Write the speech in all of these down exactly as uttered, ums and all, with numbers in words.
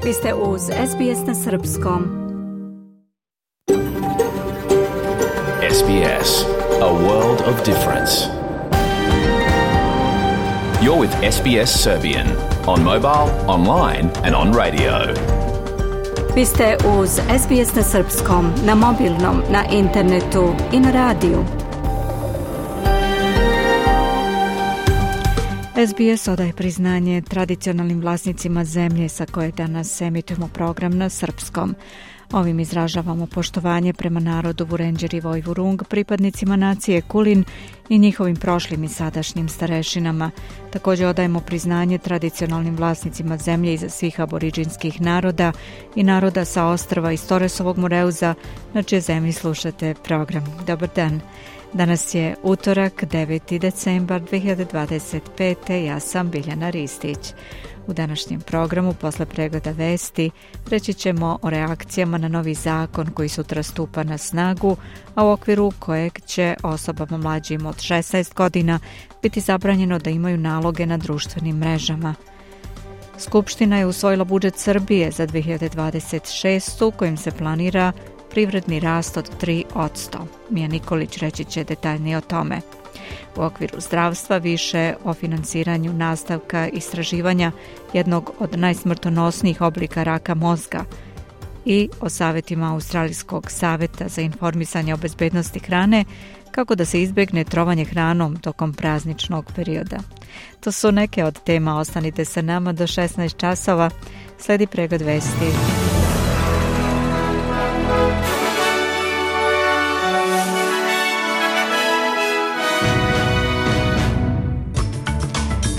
Vi ste uz S B S na srpskom. S B S, a world of difference. You're with S B S Serbian on mobile, online and on radio. Vi ste uz S B S na srpskom, na mobilnom, na internetu i na radiju. S B S odaje priznanje tradicionalnim vlasnicima zemlje sa koje danas emitujemo program na srpskom. Ovim izražavamo poštovanje prema narodu Vurenđeri Vojvurung, pripadnicima nacije Kulin i njihovim prošlim i sadašnjim starešinama. Također odajemo priznanje tradicionalnim vlasnicima zemlje iza svih aboriđinskih naroda i naroda sa ostrva iz Torresovog Moreuza, na čije zemlji slušate program. Dobar dan. Danas je utorak, deveti decembar dve hiljade dvadeset pete. Ja sam Biljana Ristić. U današnjem programu, posle pregleda vesti, reći ćemo o reakcijama na novi zakon koji sutra stupa na snagu, a u okviru kojeg će osobama mlađim od šesnaest godina biti zabranjeno da imaju naloge na društvenim mrežama. Skupština je usvojila budžet Srbije za dve hiljade dvadeset šestu. kojim se planira privredni rast od tri posto. Mija Nikolić reći će detaljnije o tome. U okviru zdravstva više o finansiranju nastavka istraživanja jednog od najsmrtonosnijih oblika raka mozga i o savjetima Australijskog savjeta za informisanje o bezbednosti hrane kako da se izbjegne trovanje hranom tokom prazničnog perioda. To su neke od tema, ostanite sa nama do šesnaest časova, sledi pregled vesti.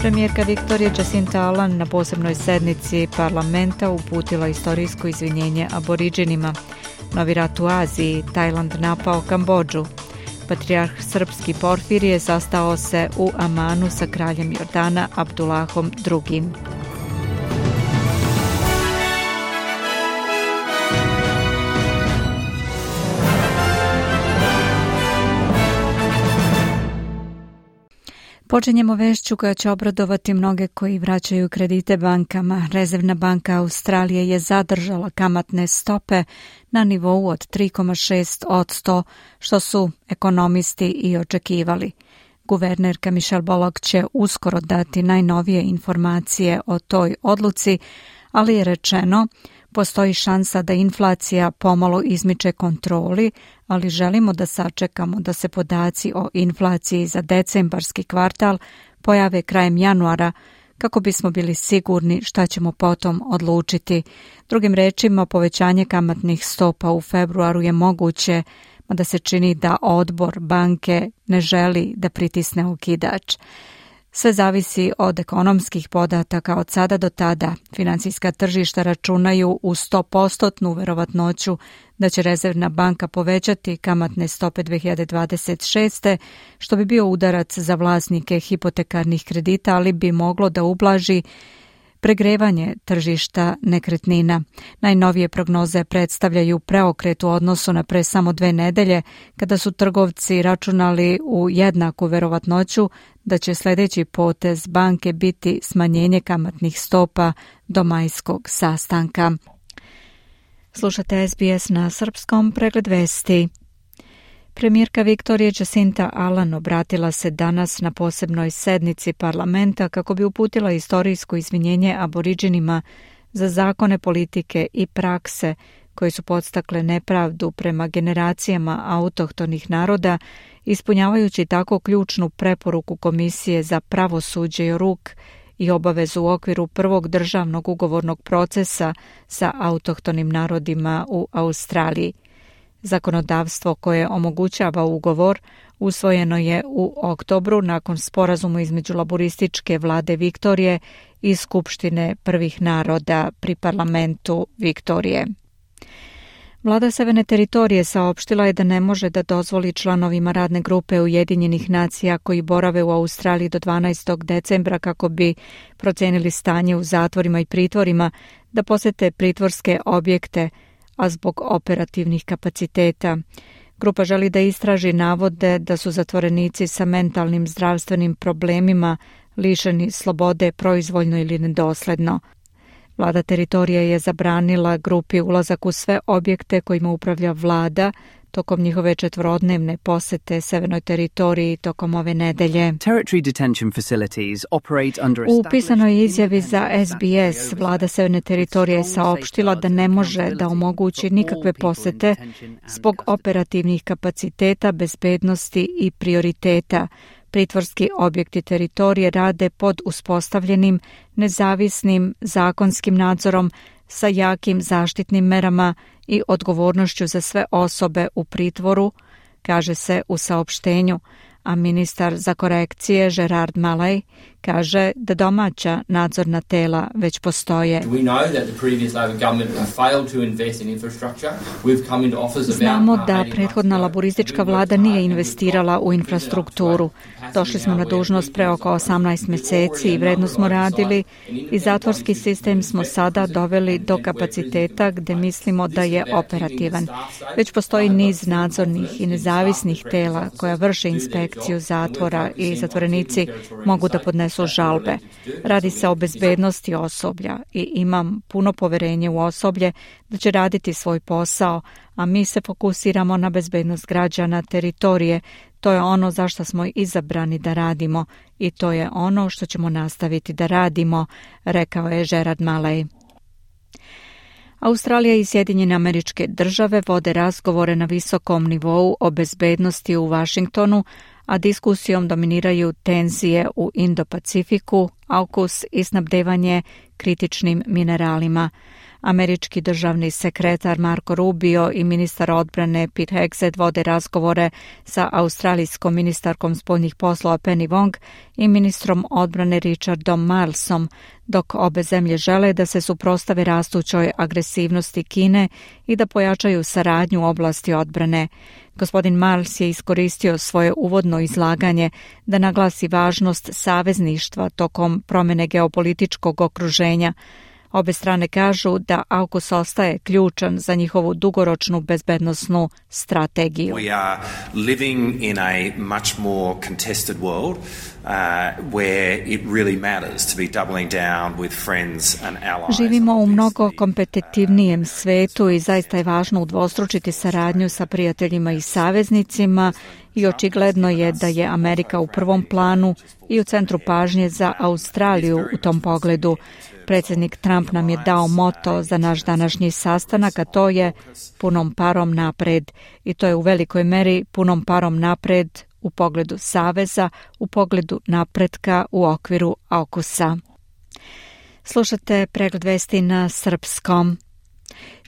Premijerka Viktorija Jacinta Allan na posebnoj sednici parlamenta uputila istorijsko izvinjenje aboriđinima. Novi rat u Aziji, Tajland napao Kambodžu. Patrijarh srpski Porfirije sastao se u Amanu sa kraljem Jordana Abdulahom drugim. Počinjemo vešću koja će obradovati mnoge koji vraćaju kredite bankama. Rezervna banka Australije je zadržala kamatne stope na nivou od tri zarez šest posto, što su ekonomisti i očekivali. Guvernerka Michelle Bullock će uskoro dati najnovije informacije o toj odluci, ali je rečeno postoji šansa da inflacija pomalo izmiče kontroli, ali želimo da sačekamo da se podaci o inflaciji za decembarski kvartal pojave krajem januara kako bismo bili sigurni šta ćemo potom odlučiti. Drugim rečima, povećanje kamatnih stopa u februaru je moguće, mada se čini da odbor banke ne želi da pritisne okidač. Sve zavisi od ekonomskih podataka od sada do tada. Financijska tržišta računaju u sto posto verovatnoću da će Rezervna banka povećati kamatne stope dve hiljade dvadeset šeste. što bi bio udarac za vlasnike hipotekarnih kredita, ali bi moglo da ublaži pregrevanje tržišta nekretnina. Najnovije prognoze predstavljaju preokret u odnosu na pre samo dve nedelje, kada su trgovci računali u jednaku verovatnoću da će sljedeći potez banke biti smanjenje kamatnih stopa do majskog sastanka. Slušate S B S na srpskom, pregled vesti. Premijerka Viktorija Jacinta Allan obratila se danas na posebnoj sednici parlamenta kako bi uputila istorijsko izvinjenje aboriđinima za zakone, politike i prakse koje su podstakle nepravdu prema generacijama autohtonih naroda, ispunjavajući tako ključnu preporuku Komisije za pravosuđe i ruk i obavezu u okviru prvog državnog ugovornog procesa sa autohtonim narodima u Australiji. Zakonodavstvo koje omogućava ugovor usvojeno je u oktobru nakon sporazuma između laborističke vlade Viktorije i Skupštine prvih naroda pri parlamentu Viktorije. Vlada Severne teritorije saopštila je da ne može da dozvoli članovima radne grupe Ujedinjenih nacija koji borave u Australiji do dvanaestog decembra kako bi procenili stanje u zatvorima i pritvorima da posete pritvorske objekte, a zbog operativnih kapaciteta. Grupa želi da istraži navode da su zatvorenici sa mentalnim zdravstvenim problemima lišeni slobode proizvoljno ili nedosledno. Vlada teritorije je zabranila grupi ulazak u sve objekte kojima upravlja vlada tokom njihove četvorodnevne posete severnoj teritoriji tokom ove nedelje. U pisanoj izjavi za S B S vlada severne teritorije je saopštila da ne može da omogući nikakve posete zbog operativnih kapaciteta, bezbednosti i prioriteta. Pritvorski objekti teritorije rade pod uspostavljenim, nezavisnim zakonskim nadzorom sa jakim zaštitnim merama i odgovornošću za sve osobe u pritvoru, kaže se u saopštenju, a ministar za korekcije Gerard Malay kaže da domaća nadzorna tela već postoje. Znamo da prethodna laboristička vlada nije investirala u infrastrukturu. Došli smo na dužnost pre oko osamnaest mjeseci i vredno smo radili i zatvorski sistem smo sada doveli do kapaciteta gde mislimo da je operativan. Već postoji niz nadzornih i nezavisnih tela koja vrše inspekciju zatvora i zatvorenici mogu da podnesu žalbe. Radi se o bezbednosti osoblja i imam puno poverenje u osoblje da će raditi svoj posao, a mi se fokusiramo na bezbednost građana teritorije. To je ono za što smo izabrani da radimo i to je ono što ćemo nastaviti da radimo, rekao je Gerard Malay. Australija i Sjedinjene Američke Države vode razgovore na visokom nivou o bezbednosti u Vašingtonu, a diskusijom dominiraju tenzije u Indo-Pacifiku, AUKUS i snabdevanje kritičnim mineralima. Američki državni sekretar Marco Rubio i ministar odbrane Pete Hegseth vode razgovore sa australijskom ministarkom spoljnih poslova Penny Wong i ministrom odbrane Richardom Milesom, dok obe zemlje žele da se suprotstave rastućoj agresivnosti Kine i da pojačaju saradnju u oblasti odbrane. Gospodin Miles je iskoristio svoje uvodno izlaganje da naglasi važnost savezništva tokom promjene geopolitičkog okruženja. Obe strane kažu da AUKUS ostaje ključan za njihovu dugoročnu bezbednosnu strategiju. We are living in a much more contested world uh, where it really matters to be doubling down with friends and allies. Živimo u mnogo kompetitivnijem svetu i zaista je važno udvostručiti saradnju sa prijateljima i saveznicima i očigledno je da je Amerika u prvom planu i u centru pažnje za Australiju u tom pogledu. Predsjednik Trump nam je dao moto za naš današnji sastanak, a to je punom parom napred. I to je u velikoj meri punom parom napred u pogledu saveza, u pogledu napretka u okviru AUKUS-a. Slušate pregled vesti na srpskom.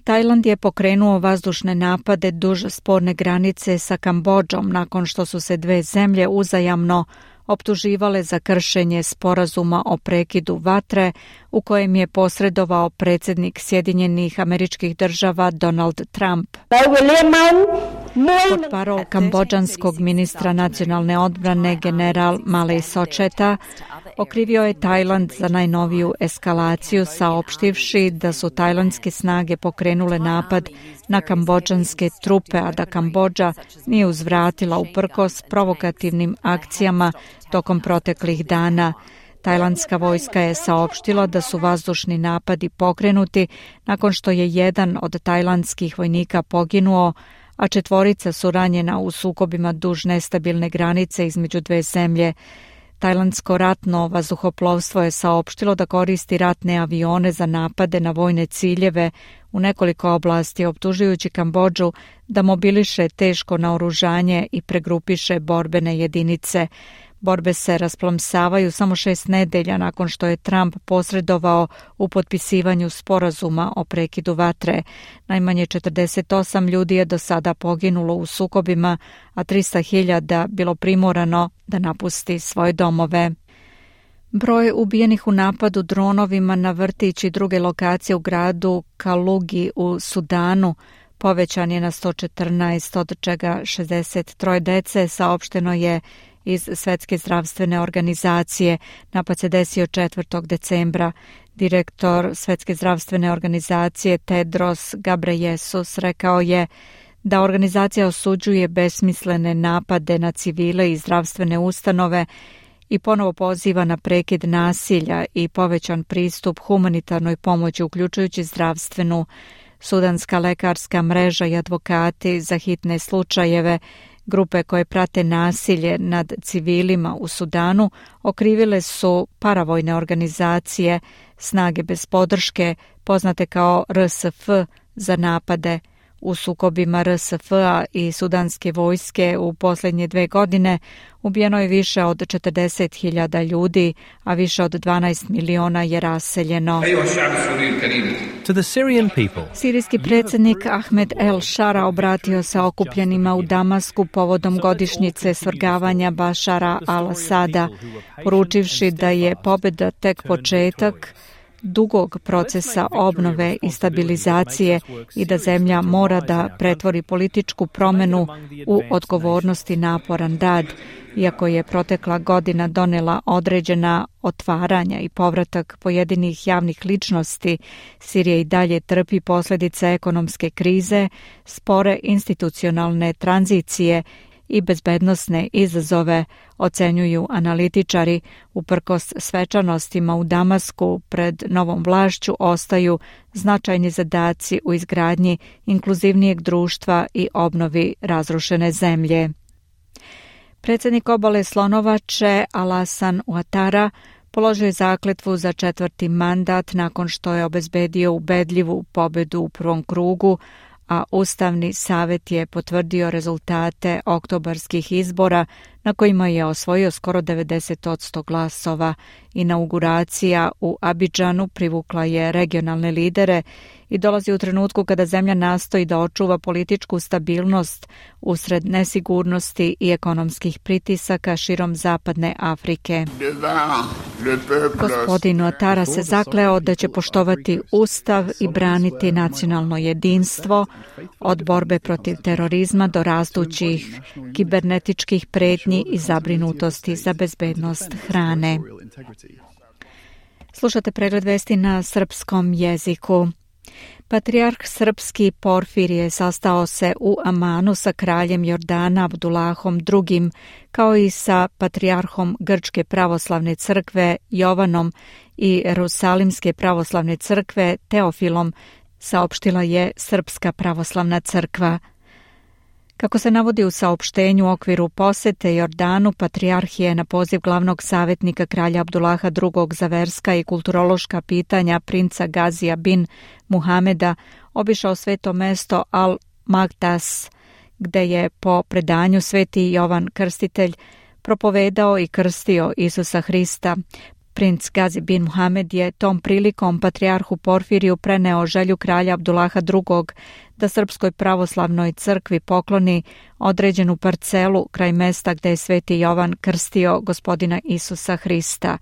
Tajland je pokrenuo vazdušne napade duž sporne granice sa Kambodžom nakon što su se dve zemlje uzajamno optuživale za kršenje sporazuma o prekidu vatre u kojem je posredovao predsjednik Sjedinjenih Američkih Država Donald Trump. Portparol kambodžanskog ministra nacionalne odbrane general Malay Socheta okrivio je Tajland za najnoviju eskalaciju, saopštivši da su tajlandske snage pokrenule napad na kambodžanske trupe, a da Kambodža nije uzvratila uprkos provokativnim akcijama tokom proteklih dana. Tajlandska vojska je saopštila da su vazdušni napadi pokrenuti nakon što je jedan od tajlandskih vojnika poginuo, a četvorica su ranjena u sukobima duž nestabilne granice između dve zemlje. Tajlandsko ratno vazduhoplovstvo je saopštilo da koristi ratne avione za napade na vojne ciljeve u nekoliko oblasti, optužujući Kambodžu da mobiliše teško naoružanje i pregrupiše borbene jedinice. Borbe se rasplomsavaju samo šest nedelja nakon što je Trump posredovao u potpisivanju sporazuma o prekidu vatre. Najmanje četrdeset osam ljudi je do sada poginulo u sukobima, a trista hiljada bilo primorano da napusti svoje domove. Broj ubijenih u napadu dronovima na vrtić i druge lokacije u gradu Kalugi u Sudanu povećan je na sto četrnaest, od čega šezdeset tri dece, saopšteno je iz Svetske zdravstvene organizacije. Napad se desio četvrtog decembra. Direktor Svetske zdravstvene organizacije Tedros Ghebreyesus rekao je da organizacija osuđuje besmislene napade na civile i zdravstvene ustanove i ponovo poziva na prekid nasilja i povećan pristup humanitarnoj pomoći, uključujući zdravstvenu. Sudanska lekarska mreža i advokati za hitne slučajeve, grupe koje prate nasilje nad civilima u Sudanu, okrivile su paravojne organizacije Snage bez podrške, poznate kao R S F, za napade. U sukobima R S F-a i sudanske vojske u posljednje dve godine ubijeno je više od četrdeset hiljada ljudi, a više od dvanaest miliona je raseljeno. Sirijski predsjednik Ahmed El Shara obratio se okupljenima u Damasku povodom godišnjice svrgavanja Bašara al-Asada, poručivši da je pobjeda tek početak dugog procesa obnove i stabilizacije i da zemlja mora da pretvori političku promjenu u odgovornost i naporan rad. Iako je protekla godina donela određena otvaranja i povratak pojedinih javnih ličnosti, Sirija i dalje trpi posljedice ekonomske krize, spore institucionalne tranzicije i bezbednosne izazove, ocenjuju analitičari. Uprkos svečanostima u Damasku pred novom vlašću ostaju značajni zadaci u izgradnji inkluzivnijeg društva i obnovi razrušene zemlje. Predsjednik Obale Slonovače Alasan Ouattara položio je zakletvu za četvrti mandat nakon što je obezbedio ubedljivu pobjedu u prvom krugu, a Ustavni savjet je potvrdio rezultate oktobarskih izbora na kojima je osvojio skoro devedeset posto glasova. Inauguracija u Abidžanu privukla je regionalne lidere i dolazi u trenutku kada zemlja nastoji da očuva političku stabilnost usred nesigurnosti i ekonomskih pritisaka širom zapadne Afrike. Gospodin Ouattara se zakleo da će poštovati Ustav i braniti nacionalno jedinstvo od borbe protiv terorizma do rastućih kibernetičkih pretnji i zabrinutosti za bezbednost hrane. Slušate pregled vesti na srpskom jeziku. Patrijarh srpski Porfirije sastao se u Amanu sa kraljem Jordana Abdulahom drugim, kao i sa patrijarhom Grčke pravoslavne crkve Jovanom i Jerusalimske pravoslavne crkve Teofilom, saopštila je Srpska pravoslavna crkva. Kako se navodi u saopštenju u okviru posete Jordanu, patrijarh je na poziv glavnog savjetnika kralja Abdulaha drugog za verska i kulturološka pitanja princa Gazija bin Muhameda obišao sveto mesto Al-Magdas, gde je po predanju sveti Jovan Krstitelj propovedao i krstio Isusa Hrista. Princ Gazi bin Muhamed je tom prilikom patrijarhu Porfiriju preneo želju kralja Abdulaha drugog da Srpskoj pravoslavnoj crkvi pokloni određenu parcelu kraj mesta gde je sveti Jovan krstio gospodina Isusa Hrista.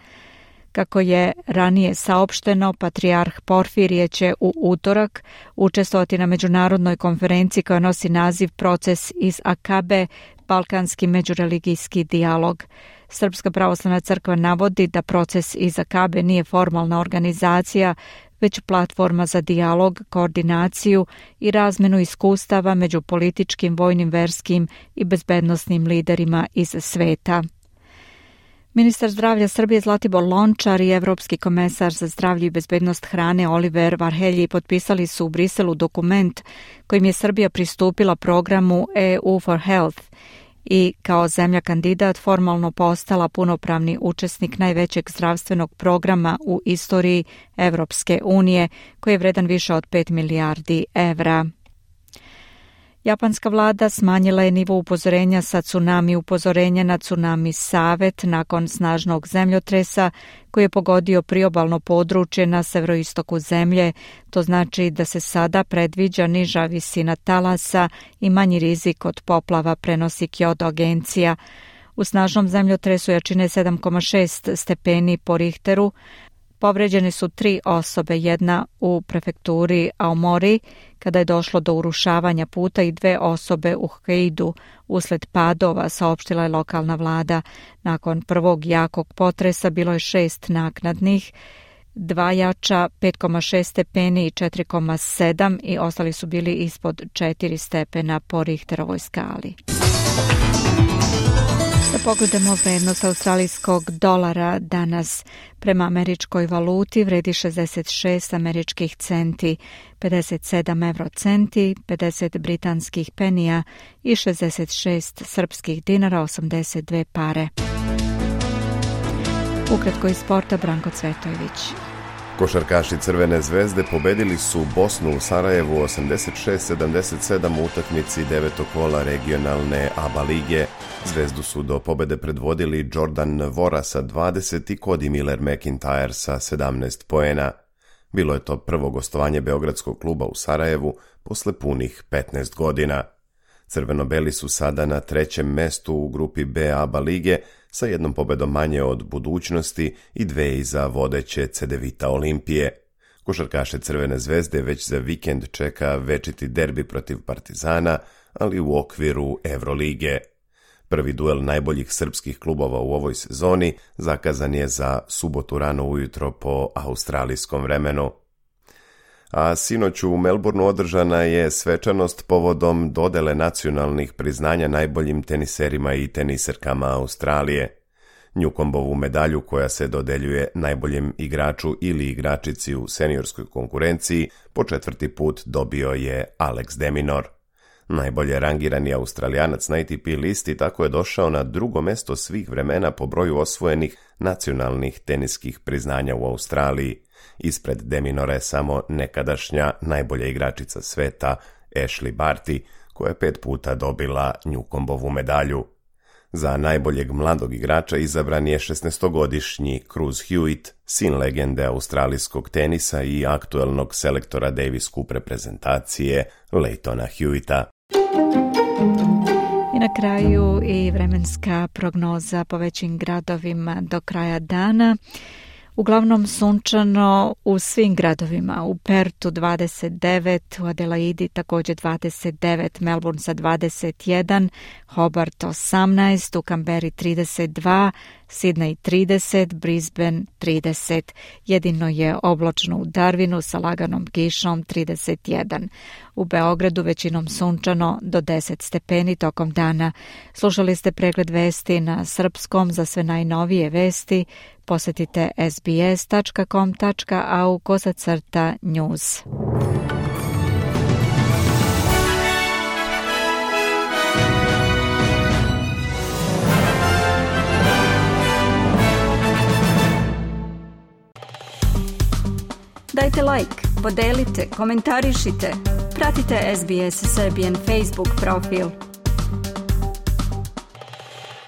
Kako je ranije saopšteno, patrijarh Porfirije će u utorak učestvovati na međunarodnoj konferenciji koja nosi naziv Proces iz Akabe, balkanski međureligijski dijalog. Srpska pravoslavna crkva navodi da proces iz Akabe nije formalna organizacija, već platforma za dijalog, koordinaciju i razmenu iskustava među političkim, vojnim, verskim i bezbednosnim liderima iz sveta. Ministar zdravlja Srbije Zlatibor Lončar i Evropski komesar za zdravlje i bezbednost hrane Oliver Varhelji potpisali su u Briselu dokument kojim je Srbija pristupila programu E U for Health i kao zemlja kandidat formalno postala punopravni učesnik najvećeg zdravstvenog programa u istoriji Evropske unije, koji je vredan više od pet milijardi evra. Japanska vlada smanjila je nivo upozorenja sa tsunami upozorenja na tsunami Savet nakon snažnog zemljotresa koji je pogodio priobalno područje na severoistoku zemlje. To znači da se sada predviđa niža visina talasa i manji rizik od poplava, prenosi Kyoto agencija. U snažnom zemljotresu jačine sedam zarez šest stepeni po Richteru povređene su tri osobe, jedna u prefekturi Aomori kada je došlo do urušavanja puta i dve osobe u Hokkaidu usled padova, saopštila je lokalna vlada. Nakon prvog jakog potresa bilo je šest naknadnih, dva jača pet zarez šest stepeni i četiri zarez sedam i ostali su bili ispod četiri stepena po Richterovoj skali. Da pogledamo vrednost australijskog dolara danas. Prema američkoj valuti vredi šezdeset šest američkih centi, pedeset sedam evrocenti, pedeset britanskih penija i šezdeset šest srpskih dinara, osamdeset dve pare. Ukratko iz sporta, Branko Cvetojević. Košarkaši Crvene zvezde pobedili su Bosnu u Sarajevu osamdeset šest sedamdeset sedam u utakmici devetog kola regionalne A B A lige. Zvezdu su do pobede predvodili Jordan Vora sa dvadeset i Cody Miller McIntyre sa sedamnaest poena. Bilo je to prvo gostovanje beogradskog kluba u Sarajevu posle punih petnaest godina. Crveno-beli su sada na trećem mestu u grupi B A B A lige sa jednom pobedom manje od Budućnosti i dve iza vodeće Cedevita Olimpije. Košarkaše Crvene zvezde već za vikend čeka večiti derbi protiv Partizana, ali u okviru Evrolige. Prvi duel najboljih srpskih klubova u ovoj sezoni zakazan je za subotu rano ujutro po australijskom vremenu. A sinoć u Melbourneu održana je svečanost povodom dodele nacionalnih priznanja najboljim teniserima i teniserkama Australije. Newcombovu medalju koja se dodeljuje najboljem igraču ili igračici u seniorskoj konkurenciji po četvrti put dobio je Alex de Minaur. Najbolje rangirani Australijanac na A T P listi tako je došao na drugo mesto svih vremena po broju osvojenih nacionalnih teniskih priznanja u Australiji. Ispred de Minaura je samo nekadašnja najbolja igračica sveta Ashley Barty, koja je pet puta dobila Newcombovu medalju. Za najboljeg mladog igrača izabran je šesnaestogodišnji Cruz Hewitt, sin legende australijskog tenisa i aktuelnog selektora Davis Cup reprezentacije Leightona Hewitta. I na kraju i vremenska prognoza po većim gradovima do kraja dana. Uglavnom sunčano u svim gradovima, u Pertu dvadeset devet, u Adelaidi također dvadeset devet, Melbourne sa dvadeset jedan, Hobart osamnaest, u Canberri trideset dva, Sydney trideset, Brisbane trideset. Jedino je oblačno u Darwinu sa laganom kišom trideset jedan. U Beogradu većinom sunčano do deset stepeni tokom dana. Slušali ste pregled vesti na srpskom. Za sve najnovije vesti posjetite s b s tačka com tačka a u kosacrta news. Dajte like, podelite, komentarišite. Pratite S B S Serbian Facebook profil.